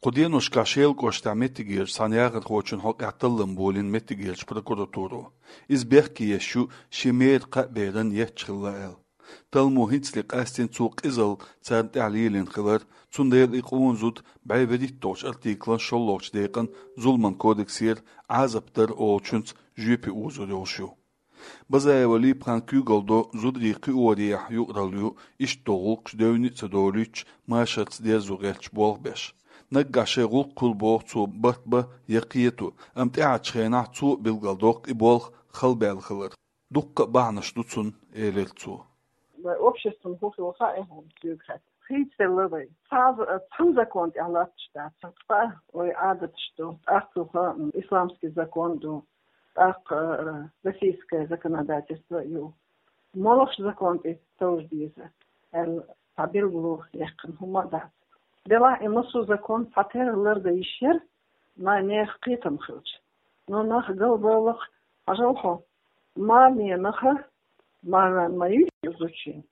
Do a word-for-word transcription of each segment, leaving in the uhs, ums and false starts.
Кху деношкахь Шелан кӀоштахь меттигерчу цхьана яхархочун хьокъехь таллам болийна меттигерчу прокуратуро. Иза бехке еш ю шен мера кхаа беран етташ хилла аьлла. Талламо хӀинцале къастийна цо къизалла царна тӀехь лелийна хилар, цундела и къона зуда бӀе вуьрхӀитталгӀачу артиклан шолгӀачу декъан зуламан кодексера Ӏазап дар олучуьнца жоьпе озор йолуш ю. Базаева Липхана куьйгалла до зударий кхиорехьа юкъаралла ю, иштта долу гӀуллакхаш девнний а ца долуьйтуш, машарца дерзо гӀерташ болх беш. Наггахь шайн гӀуллакх хуьлу боху цо барт бан я кхето, амма тӀаьхьарчу хенахь цо а билгалдоккху и болх халбаьлла хилар. Дуккха а бахьанаш ду цунна, элира цо. Вай обществан хӀун хилла хаьа хьуна соьга хаьттича? Хийцаделла вай. Цхьа а, цхьана закон тӀехь латташ дац. Цкъа вай Ӏадаташ ду, тӀаккха юха исламский закон ду, тӀаккха, э, российское законодательство ю. Молохчу закон тӀе товжа деза аьлла, цхьа билгало яьккхина хӀума а дац. Делахь и массо а закон цхьатерра лардан йиш яра, ма нехан кхетам хилча. Но нах галбаллакх, хьажал хьо, марненах, марнана ма юй иза зудчун.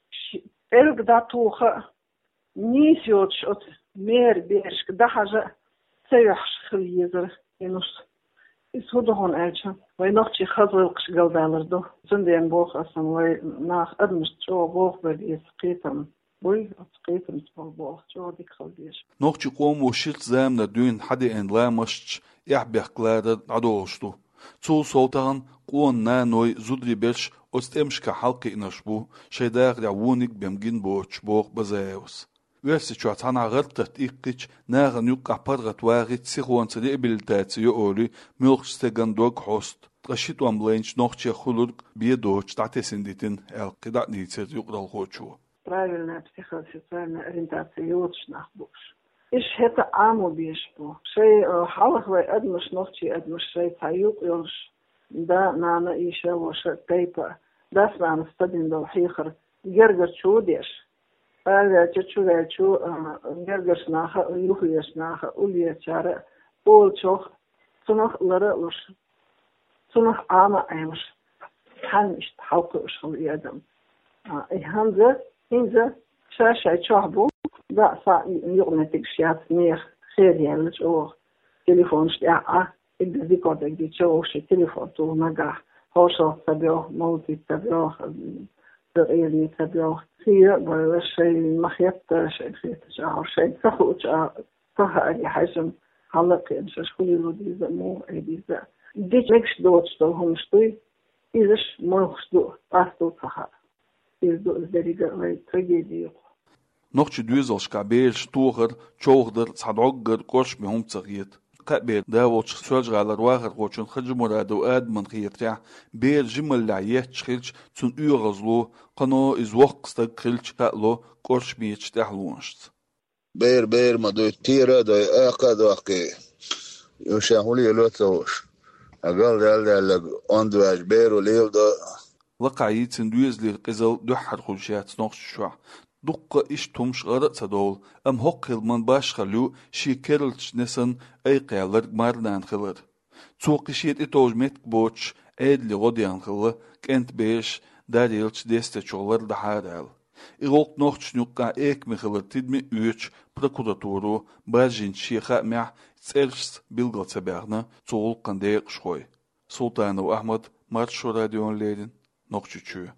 Ши-, пӀелг дӀатоха а, нийса йоцуш оцу мера берашка дӀахьажа а ца юьхьуш хила езара и нус. Иза хӀун ду хьуна аьлча, вай нохчий хаза гӀиллакхаш галдалар ду. Цундела боху аса, вай наха адамашна чӀогӀа болх бан беза, кхетам буй, оцу кхетамца болу болх чӀогӀа дика хила деза. Нохчийн къомо ширачу заманара дуьйна хьадеана ламасташ эхь-бехк ларар дӀадолуш ду. Цул сов тахана къона наной, зударий берш оцу тӀемашкахь хьалакхиънарш бу, шайн дахарехь вониг а бен гина боцуш, боху Базаевас. Оьрсийчохь цхьанхьа гӀар-тата иккхича, нахана юккъехь паргӀат вахийта, сихонца реабилитаци йо олий, муьлххачу стеган дог хьоста, ткъа ши тӀом лайначу нохчех хуьлург бен доцуш дӀатесна дитина аьлла, кхидӀа а дийцира юкъаралхочо. Правильная психосоциальная ориентация йоцуш нах бу уьш. Уьш хӀета Ӏамо безаш бу. Шайн, э, хьалха вай адамаш, нохчий адамаш шайн цхьа юкъ йолуш, да, нана, йиша, ваша, тайпа, дас-нанас ца дина долу хьехар гергарчо а деш, араваьлча, чуваьлча, а, гергарчу наха а, юхавезачу наха а, уллерачара а олучух, цунах а лара а луш, цунах Ӏама а Ӏемаш, цхьаьна иштта хьалакхуьуш хилла и адам. А, и хӀинца, хӀинца ша-шайн чохь бу, да, са юкъаметтигаш яц, нехан хер яьлла чӀогӀа, телефонаш тӀехь а, и дика дагийча, вовшийн телефон туху нагахь, хьошалгӀа ца боьлху, молитве ца боьлху, дакъеле ца боьлху. Хийра а бойла, шайн ма хетта, шайн хетачу агӀор, шайн ца хуучу агӀор, ца хааре хьаьжжина, хьала а кхиъна, шаьш хӀун лело деза а, муха Ӏе деза а. Дика мегаш доцуш долу хӀуманаш дуй, изаш молхаш ду, къасто ца хаьа. Иза ду иза деррига а вайн трагеди юкъа. Нохчийн доьзалшкахь бераш тохар, човхадар цхьа дӀоггара кӀоршаме хӀума ца хета. Кхаа бер да волчу Соьлжа-ГӀалара вахархочун Хаджимурадов Адаман хетарехь, бер жималлехь етташ хилча, цунна оьгӀазло, кхано иза воккха стаг хилча, хаало кӀоршамечу тӀаьхьалонашца. Бер бер ма дуй, тера а дой, акха а доккхий. Уьш ша хӀун лело ца хууш. Ткъа галдаьлла-даьлларг онда ваьжа, беро леладо. Лакхахь йийцина доьзалера къизалла дуьххьара хуьлуш яц Нохчийчохь. Дуккха а иштта хӀумаш гӀара а ца довла, амма хӀокху хиламан башхалла ю шен керлачу несан айкхъяьлларг марнана хилар. Цо кхин шен тӀетовжа меттиг боцуш, Ӏедале гӀо дехна хилла, кӀентан бераш дарьялчу дестечух лардахьара аьлла. И гӀуллакх нохчашна юккъехь экаме хилар тидаме а оьцуш, прокуратуро баржийначу шен хаамехь цӀерашца билгал ца баьхна цу гӀуллакхан декъашхой. Султанов Ахьмад, Маршо радиона леррина, Нохчийчоь.